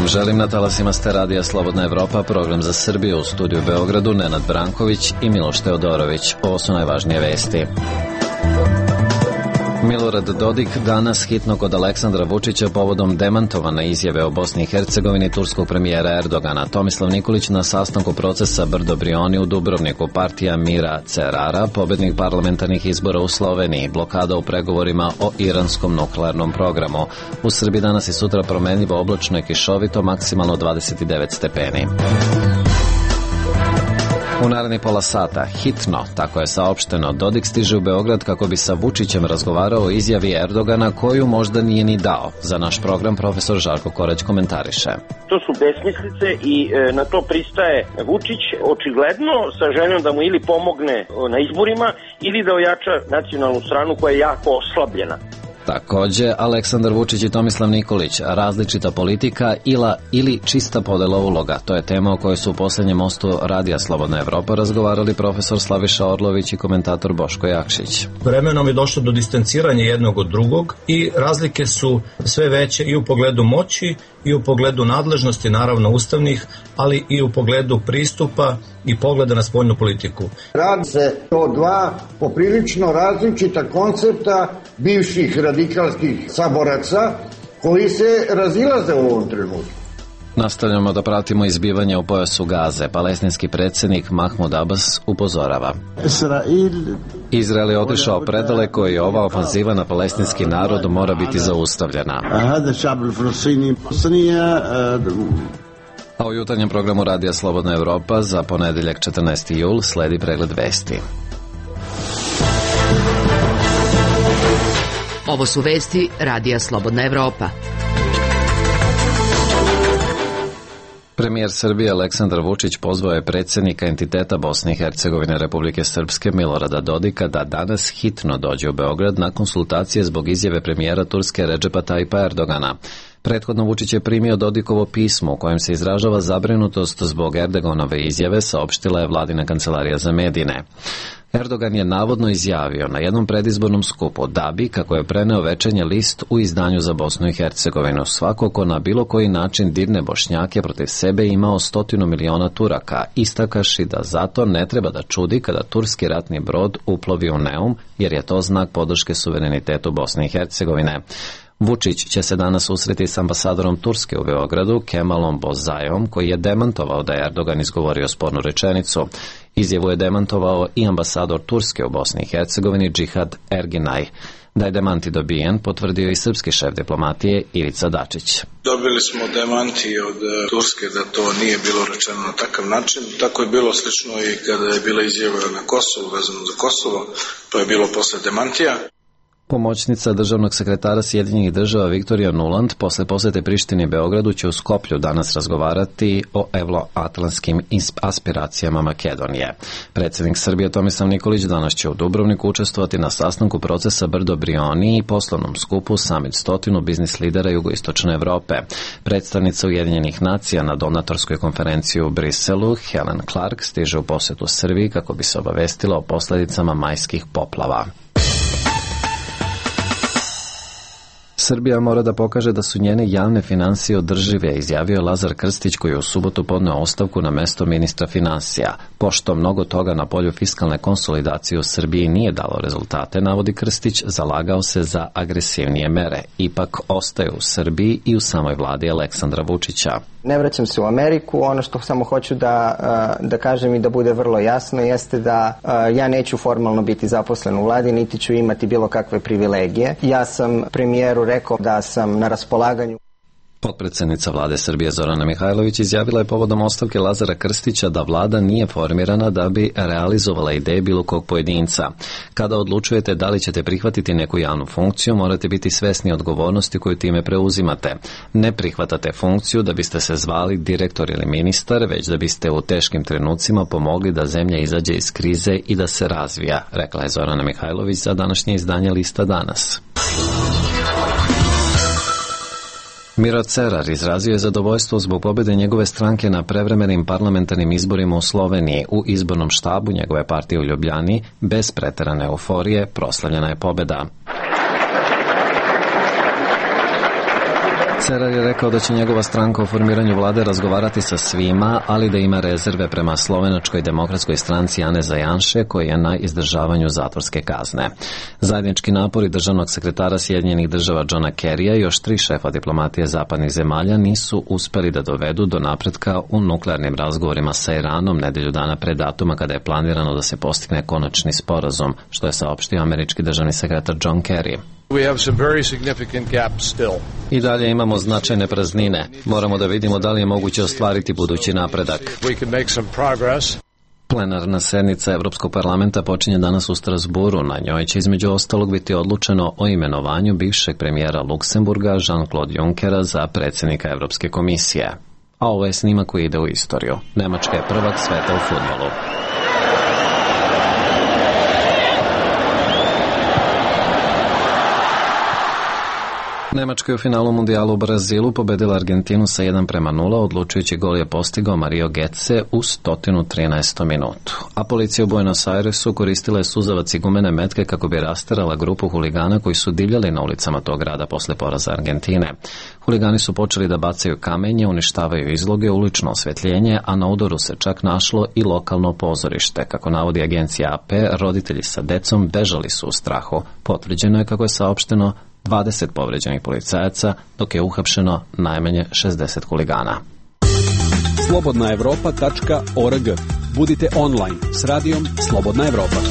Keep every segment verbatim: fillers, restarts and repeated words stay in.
želim na talasima ste radija Slobodna Evropa, program za Srbiju, u studiju Beogradu Nenad Branković i Miloš Teodorović. Ovo su najvažnije vesti. Milorad Dodik danas hitno kod Aleksandra Vučića povodom demantovane izjave o Bosni i Hercegovini turskog premijera Erdogana. Tomislav Nikolić na sastanku procesa Brdo-Brioni u Dubrovniku, partija Mira Cerara, pobednik parlamentarnih izbora u Sloveniji, blokada u pregovorima o iranskom nuklearnom programu. U Srbiji danas i sutra promenljivo, oblačno i kišovito, maksimalno dvadeset devet stepeni. U naredni pola sata, hitno, tako je saopšteno, Dodik stiže u Beograd kako bi sa Vučićem razgovarao o izjavi Erdogana koju možda nije ni dao. Za naš program profesor Žarko Korać komentariše. To su besmislice i e, na to pristaje Vučić očigledno sa željom da mu ili pomogne na izborima ili da ojača nacionalnu stranu koja je jako oslabljena. Takođe, Aleksandar Vučić i Tomislav Nikolić, različita politika ila, ili čista podela uloga. To je tema o kojoj su u poslednjem mostu radija Slobodna Evropa razgovarali profesor Slaviša Orlović i komentator Boško Jakšić. Vremenom je došlo do distanciranja jednog od drugog i razlike su sve veće i u pogledu moći i u pogledu nadležnosti, naravno ustavnih, ali i u pogledu pristupa i pogleda na spoljnu politiku. Radi se o dva poprilično različita koncepta bivših radikalskih saboraca koji se razilaze u ovom trenutku. Nastavljamo da pratimo izbivanje u pojasu Gaze. Palestinski predsjednik Mahmud Abbas upozorava. Izrael je otišao predaleko i ova ofanziva na palestinski narod mora biti zaustavljena. A u jutarnjem programu radija Slobodna Evropa za ponedeljak četrnaesti jul sledi pregled vesti. Ovo su vesti radija Slobodna Evropa. Premijer Srbije Aleksandar Vučić pozvao je predsjednika entiteta Bosne i Hercegovine Republike Srpske Milorada Dodika da danas hitno dođe u Beograd na konsultacije zbog izjave premijera Turske Redžepa Tajipa Erdogana. Prethodno Vučić je primio Dodikovo pismo u kojem se izražava zabrinutost zbog Erdoganove izjave, saopštila je vladina kancelarija za medije. Erdogan je navodno izjavio na jednom predizbornom skupu da bi, kako je preneo Večernji list u izdanju za Bosnu i Hercegovinu, svako ko na bilo koji način dirne Bošnjake protiv sebe imao stotinu miliona Turaka, istakaši da zato ne treba da čudi kada turski ratni brod uplovi u Neum, jer je to znak podrške suverenitetu Bosne i Hercegovine. Vučić će se danas susreti s ambasadorom Turske u Beogradu, Kemalom Bozajom, koji je demantovao da je Erdogan izgovorio spornu rečenicu. Izjavu je demantovao i ambasador Turske u Bosni i Hercegovini, Džihad Erginaj. Da je demanti dobijen, potvrdio i srpski šef diplomatije Ivica Dačić. Dobili smo demanti od Turske da to nije bilo rečeno na takav način. Tako je bilo slično i kada je bila izjava na Kosovu, vezano za Kosovo, to je bilo posle demantija. Pomoćnica državnog sekretara Sjedinjenih država Viktorija Nuland posle posete Prištini i Beogradu će u Skoplju danas razgovarati o evroatlantskim aspiracijama Makedonije. Predsjednik Srbije Tomislav Nikolić danas će u Dubrovniku učestvovati na sastanku procesa Brdo-Brioni i poslovnom skupu Summit stotinu biznis lidera jugoistočne Evrope. Predstavnica Ujedinjenih nacija na donatorskoj konferenciji u Briselu, Helen Clark, stiže u posetu Srbiji kako bi se obavestila o posledicama majskih poplava. Srbija mora da pokaže da su njene javne finansije održive, izjavio Lazar Krstić koji je u subotu podneo ostavku na mesto ministra finansija. Pošto mnogo toga na polju fiskalne konsolidacije u Srbiji nije dalo rezultate, navodi Krstić, zalagao se za agresivnije mere. Ipak ostaje u Srbiji i u samoj vladi Aleksandra Vučića. Ne vraćam se u Ameriku, ono što samo hoću da, da kažem i da bude vrlo jasno jeste da ja neću formalno biti zaposlen u vladi, niti ću imati bilo kakve privilegije. Ja sam premijeru rekao da sam na raspolaganju. Potpredsednica vlade Srbije Zorana Mihajlović izjavila je povodom ostavke Lazara Krstića da vlada nije formirana da bi realizovala ideje bilo kog pojedinca. Kada odlučujete da li ćete prihvatiti neku javnu funkciju, morate biti svesni odgovornosti koju time preuzimate. Ne prihvatate funkciju da biste se zvali direktor ili ministar, već da biste u teškim trenucima pomogli da zemlja izađe iz krize i da se razvija, rekla je Zorana Mihajlović za današnje izdanje Lista danas. Miro Cerar izrazio je zadovoljstvo zbog pobjede njegove stranke na prevremenim parlamentarnim izborima u Sloveniji. U izbornom štabu njegove partije u Ljubljani, bez preterane euforije, proslavljena je pobjeda. Cerar je rekao da će njegova stranka o formiranju vlade razgovarati sa svima, ali da ima rezerve prema slovenačkoj demokratskoj stranci Ane Zajanše, koji je na izdržavanju zatvorske kazne. Zajednički napori državnog sekretara Sjedinjenih država Johna Kerrya i još tri šefa diplomatije zapadnih zemalja nisu uspeli da dovedu do napretka u nuklearnim razgovorima sa Iranom nedelju dana pre datuma kada je planirano da se postigne konačni sporazum, što je saopštio američki državni sekretar John Kerry. We have some very significant gaps still. I dalje imamo značajne praznine. Moramo da vidimo da li je moguće ostvariti budući napredak. We can make some progress. Plenarna sednica Evropskog parlamenta počinje danas u Strasburu. Na njoj će između ostalog biti odlučeno o imenovanju bivšeg premijera Luksemburga Jean-Claude Junckera za predsjednika Evropske komisije. A ovo je snimak koji ide u istoriju. Nemačka je prvak sveta u fudbalu. Nemačka je u finalu mundijala u Brazilu pobedila Argentinu sa jedan prema nula, odlučujući gol je postigao Mario Götze u sto trinaestom minutu. A policija u Buenos Airesu koristila je suzavac i gumene metke kako bi rasterala grupu huligana koji su divljali na ulicama tog grada posle poraza Argentine. Huligani su počeli da bacaju kamenje, uništavaju izloge, ulično osvetljenje, a na udaru se čak našlo i lokalno pozorište. Kako navodi agencija A P, roditelji sa decom bežali su u strahu. Potvrđeno je, kako je saopšteno, dvadeset povređenih policajaca, dok je uhapšeno najmanje šezdeset huligana. slobodna evropa tačka org. Budite online s radijom Slobodna Evropa.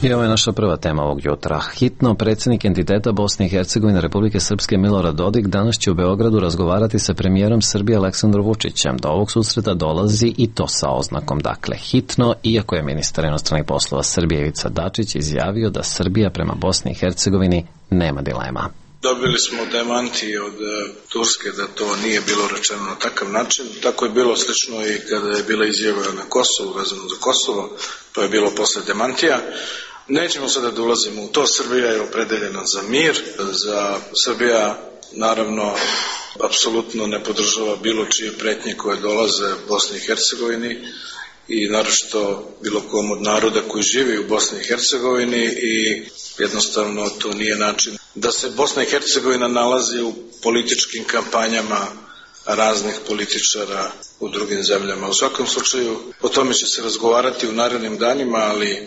I ovo je naša prva tema ovog jutra. Hitno, predsjednik entiteta Bosne i Hercegovine Republike Srpske Milorad Dodik danas će u Beogradu razgovarati sa premijerom Srbije Aleksandrom Vučićem. Do ovog susreta dolazi i to sa oznakom, dakle hitno, iako je ministar inostranih poslova Srbije Ivica Dačić izjavio da Srbija prema Bosni i Hercegovini nema dilema. Dobili smo demanti od Turske da to nije bilo rečeno na takav način. Tako je bilo slično i kada je bila izjava na Kosovu, vezano za Kosovo, to je bilo posle demantija. Nećemo sada da ulazimo u to. Srbija je opredeljena za mir, za Srbija naravno apsolutno ne podržava bilo čije pretnje koje dolaze Bosni i Hercegovini i naročito bilo kom od naroda koji živi u Bosni i Hercegovini i jednostavno to nije način da se Bosna i Hercegovina nalazi u političkim kampanjama raznih političara u drugim zemljama. U svakom slučaju o tome će se razgovarati u narednim danima, ali e,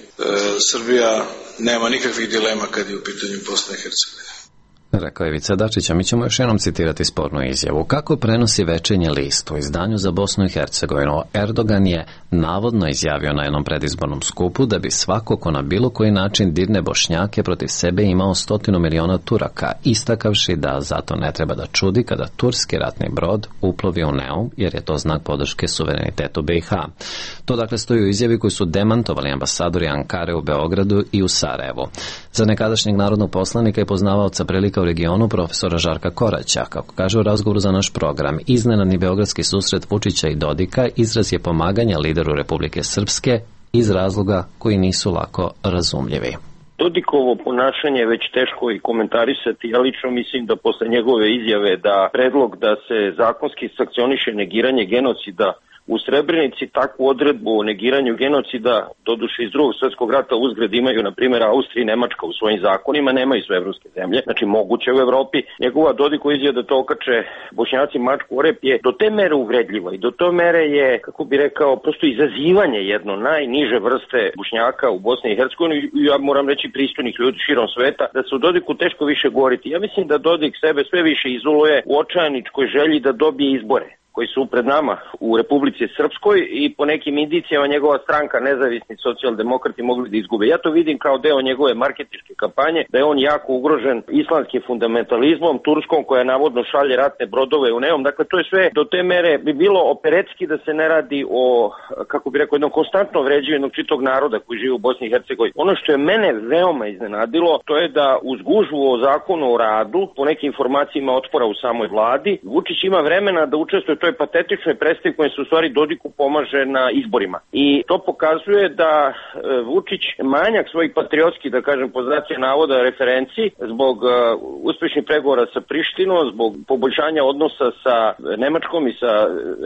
Srbija nema nikakvih dilema kad je u pitanju Bosne i Hercegovine. Rekao je Ivica Dačić, a mi ćemo još jednom citirati spornu izjavu. Kako prenosi Večernji list u izdanju za Bosnu i Hercegovinu, Erdogan je navodno izjavio na jednom predizbornom skupu da bi svako ko na bilo koji način dirne Bošnjake protiv sebe imao stotinu miliona Turaka, istakavši da zato ne treba da čudi kada turski ratni brod uplovi u Neum, jer je to znak podrške suverenitetu B i H. To dakle stoji u izjavi koju su demantovali ambasadori Ankare u Beogradu i u Sarajevu. Za nekadašnjeg narodnog poslanika i poznavaoca prilika u regionu profesora Žarka Koraća, kako kaže u razgovoru za naš program, iznenadni beogradski susret Vučića i Dodika izraz je pomaganja lideru Republike Srpske iz razloga koji nisu lako razumljivi. Dodikovo ponašanje je već teško i komentarisati. Ja lično mislim da posle njegove izjave da predlog da se zakonski sankcioniše negiranje genocida u Srebrenici, takvu odredbu o negiranju genocida, doduše iz drugog svjetskog rata, uzgred imaju, na primjer, Austrija i Nemačka u svojim zakonima, nemaju sve evropske zemlje, znači moguće u Evropi. Njegova Dodikova izjava da to okače Bošnjaci mačku o rep je do te mere uvredljiva i do te mere je, kako bi rekao, prosto izazivanje jedno najniže vrste Bošnjaka u Bosni i Hercegovini, ja moram reći pristojnih ljudi širom sveta, da se u Dodiku teško više govoriti. Ja mislim da Dodik sebe sve više izoluje u očajničkoj želji da dobije izbore koji su pred nama u Republici Srpskoj i po nekim indicijama njegova stranka, nezavisni socijaldemokrati, mogli da izgube. Ja to vidim kao deo njegove marketinške kampanje, da je on jako ugrožen islamskim fundamentalizmom, Turskom koja navodno šalje ratne brodove u Neum. Dakle, to je sve do te mere bi bilo operetski da se ne radi o, kako bi rekao, jednom konstantno vređenju jednog čitog naroda koji živi u Bosni i Hercegovini. Ono što je mene veoma iznenadilo, to je da uz gužvu o zakonu o radu, po nekim informacijama otpora u samoj vladi, Vučić ima vremena da učestvuje toj patetičnoj predstavi kojom se u stvari Dodiku pomaže na izborima. I to pokazuje da Vučić manjak svojih patriotskih, da kažem, po znacima navoda referenciji zbog uh, uspešnih pregovora sa Prištinom, zbog poboljšanja odnosa sa Nemačkom i sa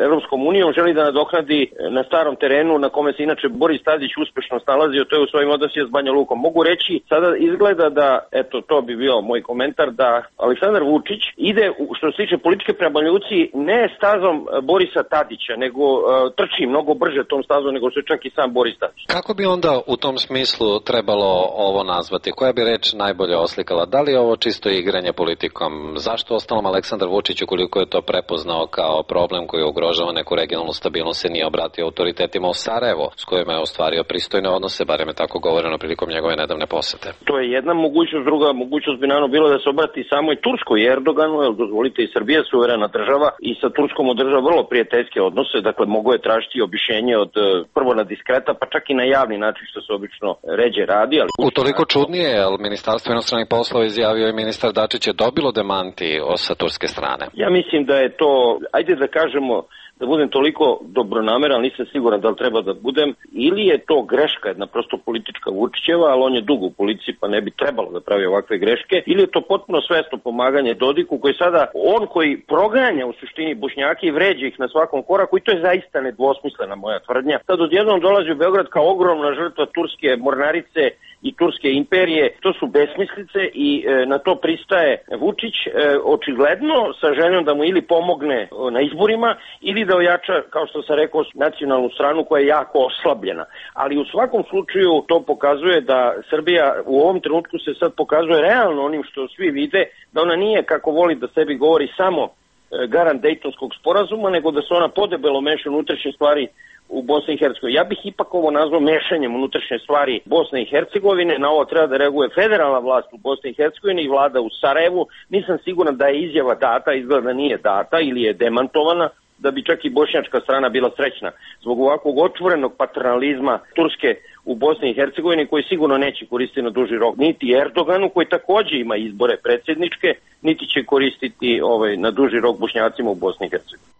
Evropskom unijom, želi da nadoknadi na starom terenu na kome se inače Boris Tadić uspešno snalazio, to je u svojim odnosima s Banja Lukom. Mogu reći, sada izgleda da, eto, to bi bio moj komentar, da Aleksandar Vučić ide, što se tiče političke prema Banja Luci, ne stazom Borisa Tadića, nego uh, trči mnogo brže tom stazom nego što je čak i sam Boris Tadić. Kako bi onda u tom smislu trebalo ovo nazvati? Koja bi reč najbolje oslikala? Da li je ovo čisto igranje politikom? Zašto ostalom Aleksandar Vučić, ukoliko je to prepoznao kao problem koji ugrožava neku regionalnu stabilnost, se nije obratio autoritetima u Sarajevo, s kojima je ostvario pristojne odnose, barem je tako govoreno prilikom njegove nedavne posete? To je jedna mogućnost, druga mogućnost bi naravno bilo da se obrati samoj Turskoj i Erdoganu, jer dozvolite, i Srbija je suverena država i sa Turskom održava vrlo prijateljske odnose, dakle mogo je tražiti objašnjenje od prvo na diskreta, pa čak i na javni način, što se obično ređe radi. Ali utoliko čudnije, jer Ministarstvo inostranih poslova izjavio i ministar Dačić je dobilo demanti sa turske strane. Ja mislim da je to, ajde da kažemo, da budem toliko dobronameran, nisam siguran da li treba da budem, ili je to greška, jedna prosto politička Vučićeva, ali on je dugo u policiji pa ne bi trebalo da pravi ovakve greške, ili je to potpuno svesno pomaganje Dodiku, koji sada, on koji proganja u suštini Bošnjake i vređa ih na svakom koraku, i to je zaista nedvosmislena moja tvrdnja. Sad odjednom dolazi u Beograd kao ogromna žrtva turske mornarice i turske imperije, to su besmislice i e, na to pristaje Vučić, e, očigledno sa željom da mu ili pomogne e, na izborima ili da ojača, kao što sam rekao, nacionalnu stranu koja je jako oslabljena. Ali u svakom slučaju to pokazuje da Srbija u ovom trenutku se sad pokazuje realno onim što svi vide, da ona nije, kako voli da sebi govori, samo e, garant Dejtonskog sporazuma, nego da se ona podebelo meša unutrašnje stvari u Bosni i Hercegovini. Ja bih ipak ovo nazvao mešanjem unutrašnje stvari Bosne i Hercegovine. Na ovo treba da reaguje federalna vlast u Bosni i Hercegovini i vlada u Sarajevu. Nisam siguran da je izjava data, izgleda da nije data ili je demantovana, da bi čak i bošnjačka strana bila srećna zbog ovakvog otvorenog paternalizma Turske u Bosni i Hercegovini, koji sigurno neće koristiti na duži rok niti Erdoganu, koji takođe ima izbore predsjedničke, niti će koristiti ovaj, na duži rok Bošnjacima u Bosni i Hercegovini.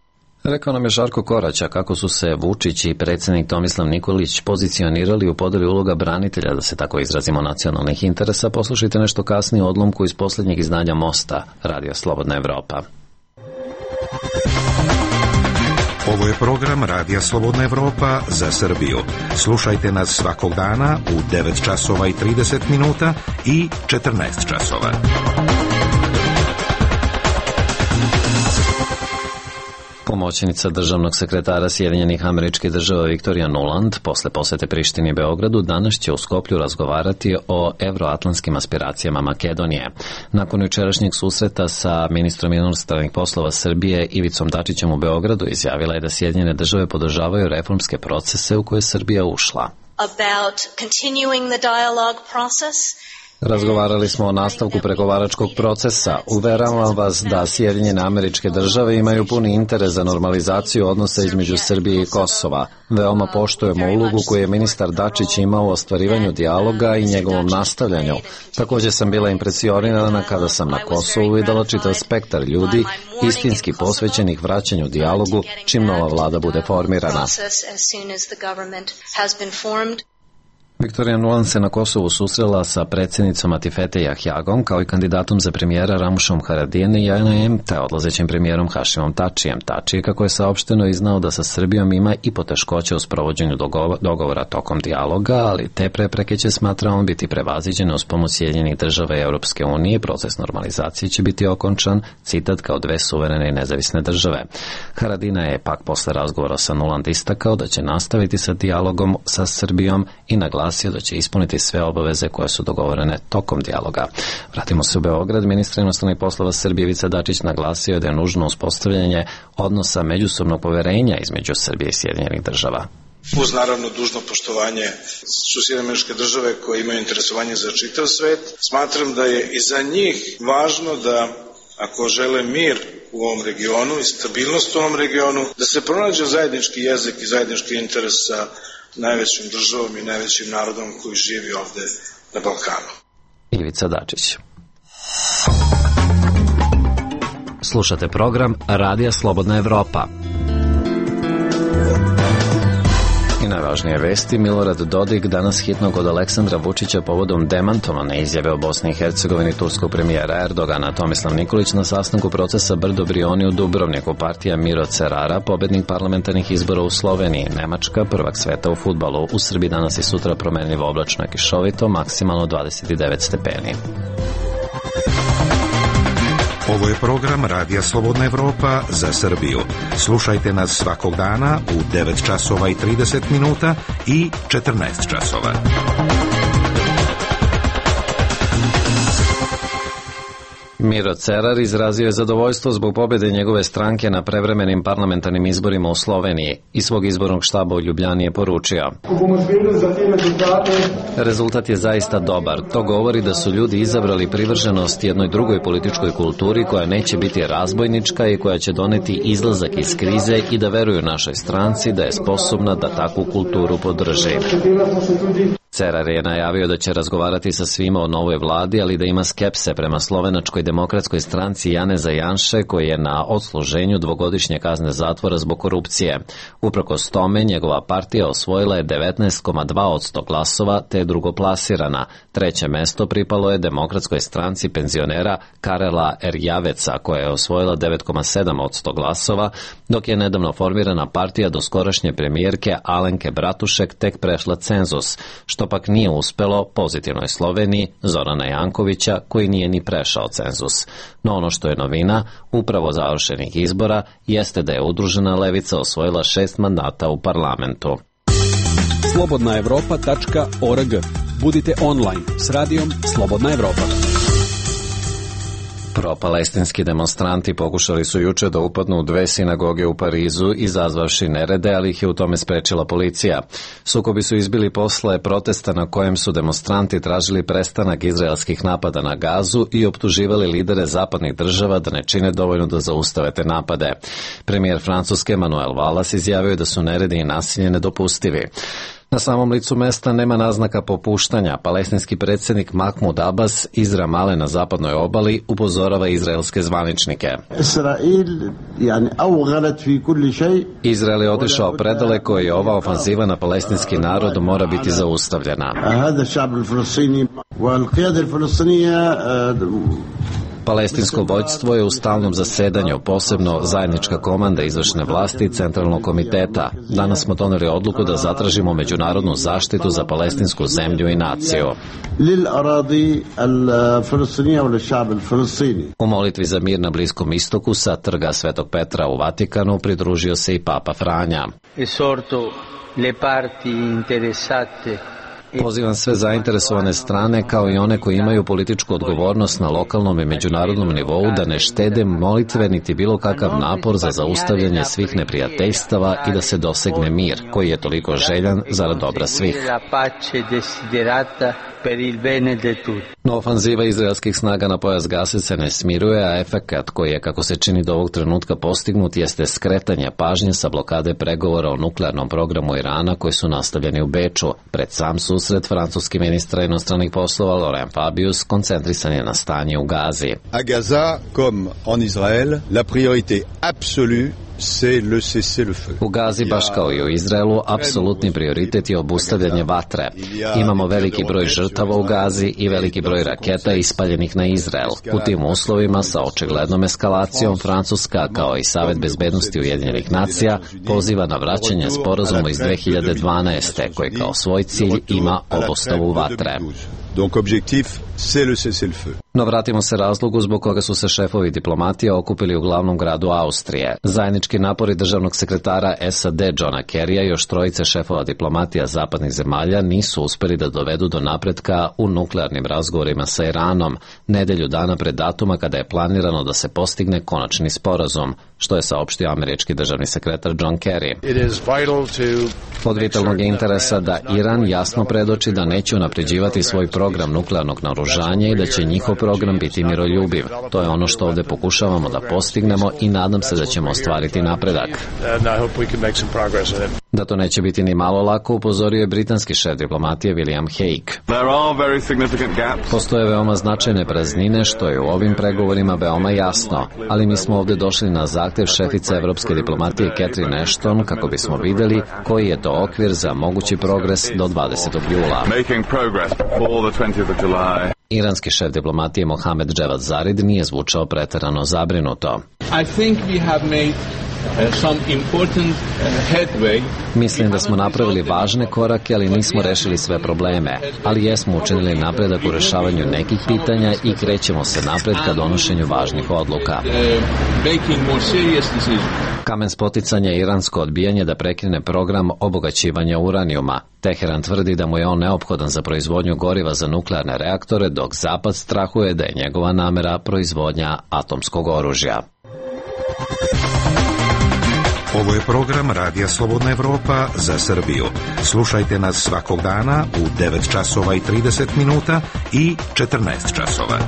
Rekao nam je Žarko Koraća kako su se Vučić i predsjednik Tomislav Nikolić pozicionirali u podeli uloga branitelja, da se tako izrazimo, nacionalnih interesa. Poslušajte nešto kasnije odlomku iz posljednjeg izdanja Mosta, Radio Slobodna Evropa. Ovo je program Radija Slobodna Evropa za Srbiju. Slušajte nas svakog dana u devet časova i trideset minuta i četrnaest časova. Pomoćnica državnog sekretara Sjedinjenih Američkih Država Viktorija Nuland posle posete Prištini i Beogradu danas će u Skoplju razgovarati o evroatlantskim aspiracijama Makedonije. Nakon jučerašnjeg susreta sa ministrom inostranih poslova Srbije Ivicom Dačićem u Beogradu izjavila je da Sjedinjene države podržavaju reformske procese u koje je Srbija ušla. About continuing the dialogue process. Razgovarali smo o nastavku pregovaračkog procesa. Uveravam vas da Sjedinjene Američke Države imaju puni interes za normalizaciju odnosa između Srbije i Kosova. Veoma poštujemo ulogu koju je ministar Dačić imao u ostvarivanju dijaloga i njegovom nastavljanju. Također sam bila impresionirana kada sam na Kosovu videla čitav spektar ljudi istinski posvećenih vraćanju dijalogu čim nova vlada bude formirana. Viktorija Nuland se na Kosovu susrela sa predsjednicom Atifete Jahjagom kao i kandidatom za premijera Ramušom Haradijene i N M te odlazećim premijerom Hašimom Tačijem. Tačije, kako je saopšteno, iznao da sa Srbijom ima i poteškoće u sprovođenju dogovora tokom dijaloga, ali te prepreke će, smatra on, biti prevaziđene uz pomoć Sjedinjenih država i Europske unije. Proces normalizacije će biti okončan, citat, kao dve suverene i nezavisne države. Haradina je pak posle razgovora sa Nuland istakao da će nastaviti sa dijalogom sa Srbijom i naglasio da će ispuniti sve obaveze koje su dogovorene tokom dijaloga. Vratimo se u Beograd. Ministar inostranih poslova Srbije Ivica Dačić naglasio je da je nužno uspostavljanje odnosa međusobnog poverenja između Srbije i Sjedinjenih država. Uz naravno dužno poštovanje su Sjedinjene Američke Države koje imaju interesovanje za čitav svet. Smatram da je i za njih važno da, ako žele mir u ovom regionu i stabilnost u ovom regionu, da se pronađe zajednički jezik i zajednički interes sa najvećim državom i najvećim narodom koji živi ovde na Balkanu. Ivica Dačić. Slušate program Radija Slobodna Evropa. Najvažnije vesti: Milorad Dodik danas hitno kod Aleksandra Vučića povodom demantovane izjave o Bosni i Hercegovini turskog premijera Erdogana. Tomislav Nikolić na sastanku procesa Brdo Brioni u Dubrovniku. Partija Miro Cerara, pobednik parlamentarnih izbora u Sloveniji. Nemačka, prvak sveta u fudbalu. U Srbiji danas i sutra promenljivo oblačno i kišovito, maksimalno dvadeset devet stepeni. Ovo je program Radija Slobodna Evropa za Srbiju. Slušajte nas svakog dana u devet časova i trideset minuta i četrnaest časova. Miro Cerar izrazio je zadovoljstvo zbog pobjede njegove stranke na prevremenim parlamentarnim izborima u Sloveniji i svog izbornog štaba u Ljubljani je poručio: rezultat je zaista dobar. To govori da su ljudi izabrali privrženost jednoj drugoj političkoj kulturi koja neće biti razbojnička i koja će doneti izlazak iz krize i da veruju našoj stranci da je sposobna da takvu kulturu podrži. Cerar je najavio da će razgovarati sa svima o novoj vladi, ali da ima skepse prema Slovenačkoj demokratskoj stranci Janeza Janše, koji je na odsluženju dvogodišnje kazne zatvora zbog korupcije. Uprkos tome, njegova partija osvojila je devetnaest zarez dva posto glasova, te je drugoplasirana. Treće mesto pripalo je demokratskoj stranci penzionera Karela Erjaveca, koja je osvojila devet zarez sedam posto glasova, dok je nedavno formirana partija doskorašnje premijerke Alenke Bratušek tek prešla cenzus, što pak nije uspelo pozitivnoj Sloveniji Zorana Jankovića, koji nije ni prešao cenzus. No ono što je novina upravo završenih izbora jeste da je udružena levica osvojila šest mandata u parlamentu. slobodna evropa tačka org. Budite online s radijom Slobodna Evropa. Pro-palestinski demonstranti pokušali su juče da upadnu u dve sinagoge u Parizu, izazvavši nerede, ali ih je u tome sprečila policija. Sukobi su izbili posle protesta na kojem su demonstranti tražili prestanak izraelskih napada na Gazu i optuživali lidere zapadnih država da ne čine dovoljno da zaustave te napade. Premijer Francuske Manuel Valls izjavio je da su neredi i nasilje nedopustivi. Na samom licu mesta nema naznaka popuštanja. Palestinski predsjednik Mahmud Abbas iz Ramale na zapadnoj obali upozorava izraelske zvaničnike. Izrael je otišao predaleko i ova ofanziva na palestinski narod mora biti zaustavljena. Palestinsko vođstvo je u stalnom zasedanju, posebno zajednička komanda izvršne vlasti i centralnog komiteta. Danas smo doneli odluku da zatražimo međunarodnu zaštitu za palestinsku zemlju i naciju. U molitvi za mir na Bliskom istoku sa trga Svetog Petra u Vatikanu pridružio se i Papa Franja. Pozivam sve zainteresovane strane, kao i one koji imaju političku odgovornost na lokalnom i međunarodnom nivou, da ne štede molitve niti bilo kakav napor za zaustavljanje svih neprijateljstava i da se dosegne mir, koji je toliko željan zarad dobra svih. No ofanziva izraelskih snaga na pojas Gaze se ne smiruje, a efekat koji je, kako se čini do ovog trenutka, postignut jeste skretanje pažnje sa blokade pregovora o nuklearnom programu Irana koji su nastavljeni u Beču. Pred sam susret francuski ministra inostranih poslova Laurent Fabius koncentrisan je na stanje u Gazi. A Gaza, comme en Israël, la priorité absolue U Gazi, baš kao i u Izraelu, apsolutni prioritet je obustavljanje vatre. Imamo veliki broj žrtava u Gazi i veliki broj raketa ispaljenih na Izrael. U tim uslovima, sa očiglednom eskalacijom, Francuska, kao i Savet bezbednosti Ujedinjenih nacija, poziva na vraćanje sporazuma iz dve hiljade dvanaeste. koji kao svoj cilj ima obustavu vatre. Donc objectif, c'est le cessez-le-feu. No vratimo se razlogu zbog koga su se šefovi diplomatija okupili u glavnom gradu Austrije. Zajednički napori državnog sekretara S A D Johna Kerrya i još trojice šefova diplomatija zapadnih zemalja nisu uspeli da dovedu do napretka u nuklearnim razgovorima sa Iranom, nedelju dana pred datuma kada je planirano da se postigne konačni sporazum, što je saopštio američki državni sekretar John Kerry. Od vitalnog interesa da Iran jasno predoči da neće unapređivati svoj program nuklearnog naoružanja i da će njihov program biti miroljubiv. To je ono što ovde pokušavamo da postignemo i nadam se da ćemo ostvariti napredak. Da to neće biti ni malo lako, upozorio je britanski šef diplomatije William Hague. Postoje veoma značajne praznine, što je u ovim pregovorima veoma jasno, ali mi smo ovde došli na zahtev šefice evropske diplomatije Catherine Ashton kako bismo videli koji je to okvir za mogući progres do dvadesetog jula. Iranski šef diplomatije Mohamed Javad Zarif nije zvučao preterano zabrinuto. I think we have made some important headway. Mislim da smo napravili važne korake, ali nismo rešili sve probleme. Ali jesmo učinili napredak u rešavanju nekih pitanja i krećemo se napred ka donošenju važnih odluka. Kamen spoticanja je iransko odbijanje da prekrene program obogaćivanja uranijuma. Teheran tvrdi da mu je on neophodan za proizvodnju goriva za nuklearne reaktore, dok Zapad strahuje da je njegova namera proizvodnja atomskog oružja. Ovo je program Radija Slobodna Evropa za Srbiju. Slušajte nas svakog dana u devet časova i trideset minuta i četrnaest časova.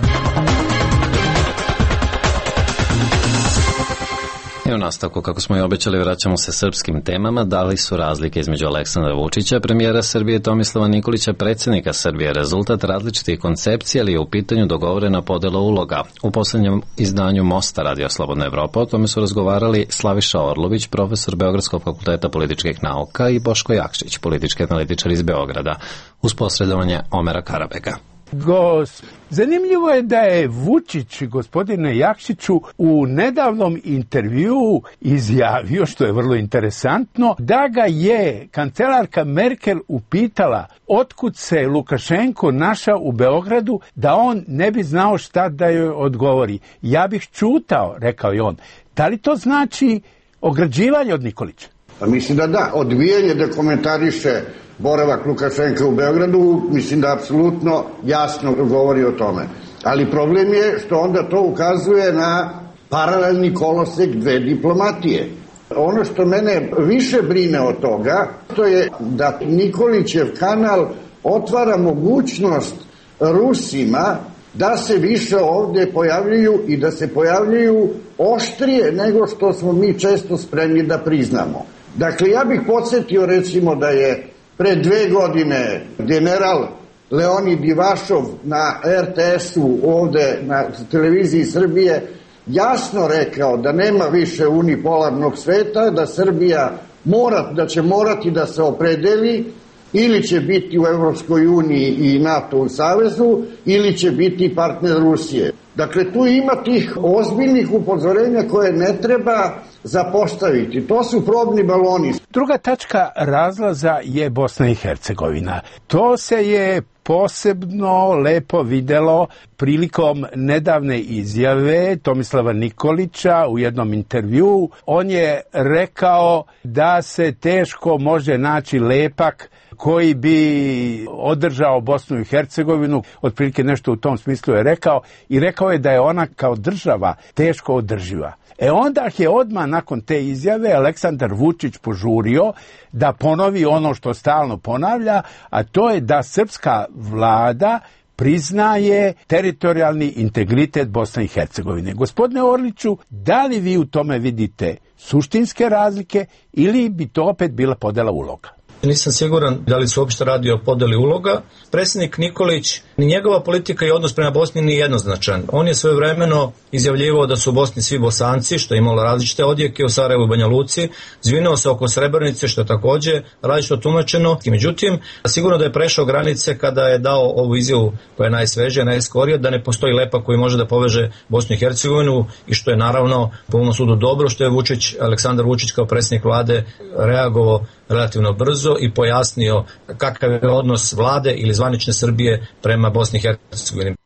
I u nastavku, kako smo i obećali, vraćamo se srpskim temama. Da li su razlike između Aleksandra Vučića, premijera Srbije, Tomislava Nikolića, predsjednika Srbije, rezultat različitih koncepcija, ali je u pitanju dogovorena podela uloga? U poslednjem izdanju Mosta Radija Slobodna Evropa o tome su razgovarali Slaviša Orlović, profesor Beogradskog fakulteta političkih nauka, i Boško Jakšić, politički analitičar iz Beograda, uz posredovanje Omera Karabega. Gos... Zanimljivo je da je Vučić, gospodine Jakšiću, u nedavnom intervjuu izjavio, što je vrlo interesantno, da ga je kancelarka Merkel upitala otkud se Lukašenko našao u Beogradu, da on ne bi znao šta da joj odgovori. Ja bih čutao, rekao je on. Da li to znači ograđivanje od Nikolića? Pa mislim da da. Odbijanje da komentariše boravak Lukašenka u Beogradu, mislim da apsolutno jasno govori o tome. Ali problem je što onda to ukazuje na paralelni kolosek dve diplomatije. Ono što mene više brine od toga, to je da Nikolićev kanal otvara mogućnost Rusima da se više ovde pojavljuju i da se pojavljuju oštrije nego što smo mi često spremni da priznamo. Dakle, ja bih podsjetio recimo da je pre dve godine general Leonid Ivašov na er te esu ovde na televiziji Srbije jasno rekao da nema više unipolarnog sveta, da Srbija mora, da će morati da se opredeli ili će biti u Evropskoj uniji i NATO u savezu ili će biti partner Rusije. Dakle, tu ima tih ozbiljnih upozorenja koje ne treba zapostaviti. To su probni baloni. Druga tačka razlaza je Bosna i Hercegovina. To se je posebno lepo videlo prilikom nedavne izjave Tomislava Nikolića u jednom intervjuu. On je rekao da se teško može naći lepak koji bi održao Bosnu i Hercegovinu, otprilike nešto u tom smislu je rekao, i rekao je da je ona kao država teško održiva. E onda je odmah nakon te izjave Aleksandar Vučić požurio da ponovi ono što stalno ponavlja, a to je da srpska vlada priznaje teritorijalni integritet Bosne i Hercegovine. Gospodine Orliću, da li vi u tome vidite suštinske razlike ili bi to opet bila podela uloga? Nisam siguran da li se uopšte radi o podeli uloga. Predsjednik Nikolić, ni njegova politika i odnos prema Bosni nije jednoznačan. On je svojevremeno izjavljivao da su u Bosni svi Bosanci, što je imalo različite odjeke u Sarajevu i Banja Luci, zvinuo se oko Srebrenice, što je takođe različito tumačeno. Međutim, sigurno da je prešao granice kada je dao ovu izjavu koja je najsvežija, najskorija, da ne postoji lepak koji može da poveže Bosnu i Hercegovinu, i što je naravno po mom sudu dobro što je Vučić, Aleksandar Vučić kao predsjednik vlade reagovao relativno brzo i pojasnio kakav je odnos vlade ili zvanične Srbije prema Bosni i Hercegovini.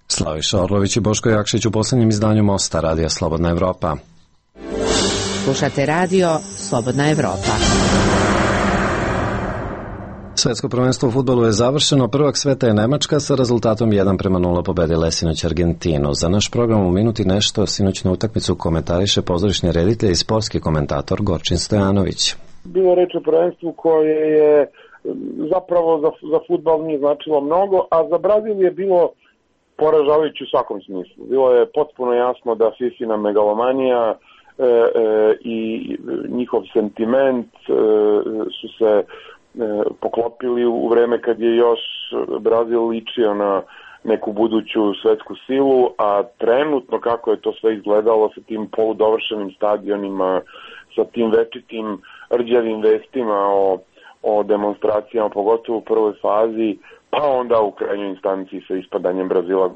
Slaviša Orlović i Boško Jakšić u poslednjem izdanju Mosta Radija Slobodna Evropa. Slušate radio Slobodna Evropa. Svetsko prvenstvo u fudbalu je završeno. Prvak sveta je Nemačka sa rezultatom jedan prema nula pobedila sinoć Argentinu. Za naš program u minuti nešto sinoćnu utakmicu komentariše pozorišni reditelj i sportski komentator Gorčin Stojanović. Bilo reč o prvenstvu koje je zapravo za, za fudbal nije značilo mnogo, a za Brazil je bilo poražavajući u svakom smislu. Bilo je potpuno jasno da Fifina megalomanija e, e, i njihov sentiment e, su se e, poklopili u vreme kad je još Brazil ličio na neku buduću svetsku silu, a trenutno kako je to sve izgledalo sa tim poludovršenim stadionima, sa tim večitim rđavim vestima o, o demonstracijama, pogotovo u prvoj fazi, pa onda u krajnjoj instanciji sa ispadanjem Brazila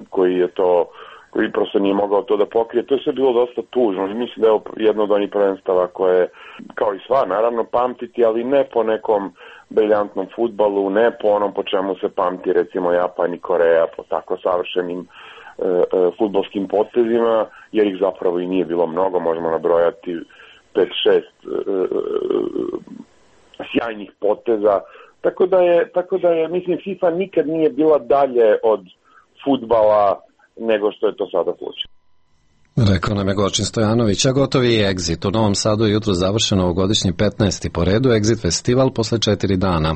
koji je to, koji prosto nije mogao to da pokrije. To je sve bilo dosta tužno. Mislim da je jedno od onih prvenstava koje, kao i sva, naravno pamtiti, ali ne po nekom briljantnom fudbalu, ne po onom po čemu se pamti recimo Japan i Koreja, po tako savršenim e, e, fudbalskim potezima, jer ih zapravo i nije bilo mnogo, možemo nabrojati pet šest e, e, sjajnih poteza. Tako da je, tako da je, mislim, FIFA nikad nije bila dalje od fudbala nego što je to sada slučaj. Rekao nam je Gočin Stojanović, a gotovi je Exit. U Novom Sadu je jutro završeno ovogodišnji petnaesti po redu Exit festival posle četiri dana.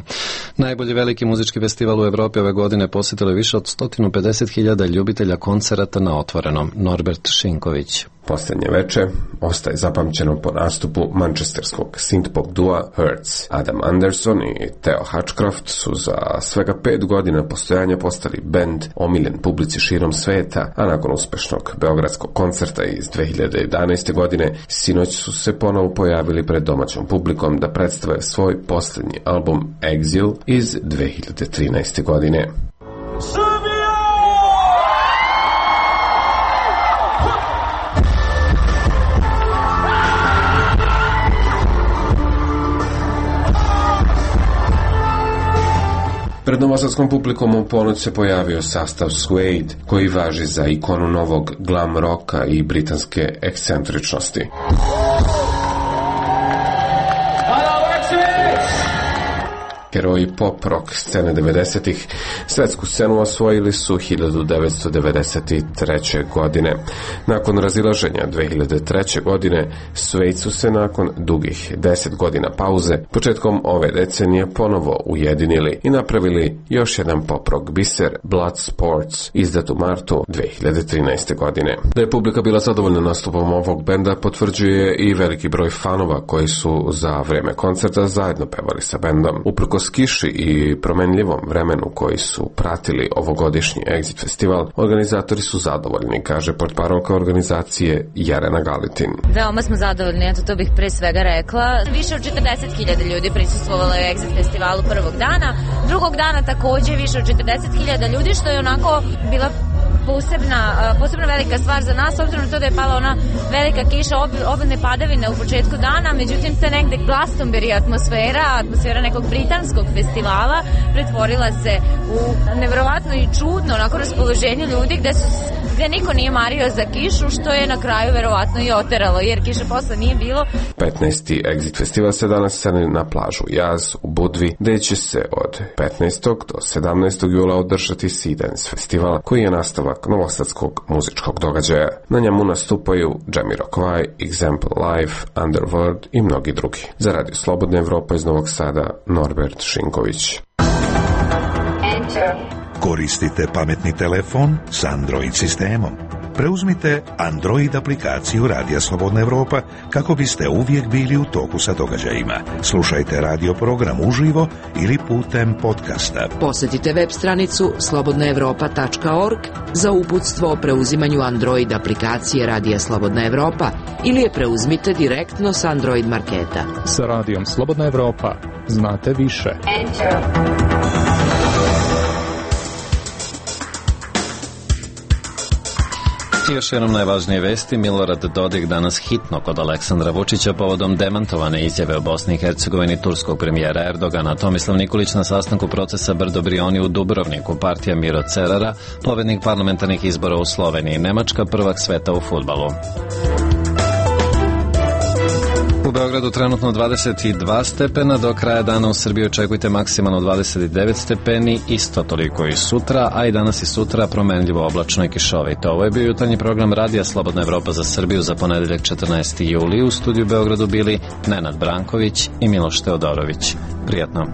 Najbolji veliki muzički festival u Evropi ove godine posjetilo je više od sto pedeset hiljada ljubitelja koncerata na otvorenom. Norbert Šinković. Posljednje veče ostaje zapamćeno po nastupu manchesterskog synth-pop dua Hertz. Adam Anderson i Theo Hutchcroft su za svega pet godina postojanja postali bend omiljen publici širom sveta, a nakon uspešnog beogradskog koncerta iz dve hiljade jedanaeste. godine sinoć su se ponovo pojavili pred domaćom publikom da predstave svoj posljednji album Exile iz dve hiljade trinaeste. godine. Pred novosadskom publikom u ponoć se pojavio sastav Suede, koji važi za ikonu novog glam roka i britanske ekscentričnosti. Heroji pop rock scene devedesetih svetsku scenu osvojili su hiljadu devetsto devedeset treće. godine. Nakon razilaženja dve hiljade treće. godine, Suede su se nakon dugih deset godina pauze početkom ove decenije ponovo ujedinili i napravili još jedan pop rock biser, Blood Sports, izdat u martu dve hiljade trinaeste. godine. Da je publika bila zadovoljna nastupom ovog benda potvrđuje i veliki broj fanova koji su za vreme koncerta zajedno pevali sa bendom. Uprkos kiši i promenljivom vremenu koji su pratili ovogodišnji Exit festival, organizatori su zadovoljni, kaže portparolka organizacije Jarena Galitin. Veoma smo zadovoljni, eto to bih pre svega rekla. Više od četrdeset hiljada ljudi prisustvovalo je Exit festivalu prvog dana. Drugog dana takođe više od četrdeset hiljada ljudi, što je onako bila posebna, posebno velika stvar za nas, obzirom na to da je pala ona velika kiša, obilne padavine u početku dana, međutim se negde Glastonbury atmosfera, atmosfera nekog britanskog festivala pretvorila se u neverovatno i čudno onako raspoloženje ljudi gde su gde niko nije mario za kišu, što je na kraju verovatno i oteralo, jer kiše posle nije bilo. petnaesti. Exit festival se danas seli na plažu Jaz u Budvi, gde će se od petnaestog do sedamnaestog jula održati Sea Dance festival, koji je nastavak novosadskog muzičkog događaja. Na njemu nastupaju Jamiroquai, Example Live, Underworld i mnogi drugi. Za Radio Slobodna Evropa iz Novog Sada, Norbert Šinković. Koristite pametni telefon s Android sistemom. Preuzmite Android aplikaciju Radija Slobodna Evropa kako biste uvijek bili u toku sa događajima. Slušajte radio program uživo ili putem podcasta. Posjetite web stranicu slobodna evropa tačka org za uputstvo o preuzimanju Android aplikacije Radija Slobodna Evropa ili je preuzmite direktno s Android marketa. Sa Radijom Slobodna Evropa znate više. Enter. I još jednom najvažnije vesti. Milorad Dodik danas hitno kod Aleksandra Vučića povodom demantovane izjave o Bosni i Hercegovini turskog premijera Erdogana. Tomislav Nikolić na sastanku procesa Brdo Brioni u Dubrovniku, partija Miro Cerara, pobednik parlamentarnih izbora u Sloveniji, Nemačka prvak sveta u fudbalu. U Beogradu trenutno dvadeset dva stepena, do kraja dana u Srbiji očekujte maksimalno dvadeset devet stepeni, isto toliko i sutra, a i danas i sutra promenljivo oblačno i kišovito. Ovo je bio jutarnji program Radija Slobodna Evropa za Srbiju za ponedeljak četrnaesti juli. U studiju Beogradu bili Nenad Branković i Miloš Teodorović. Prijatno.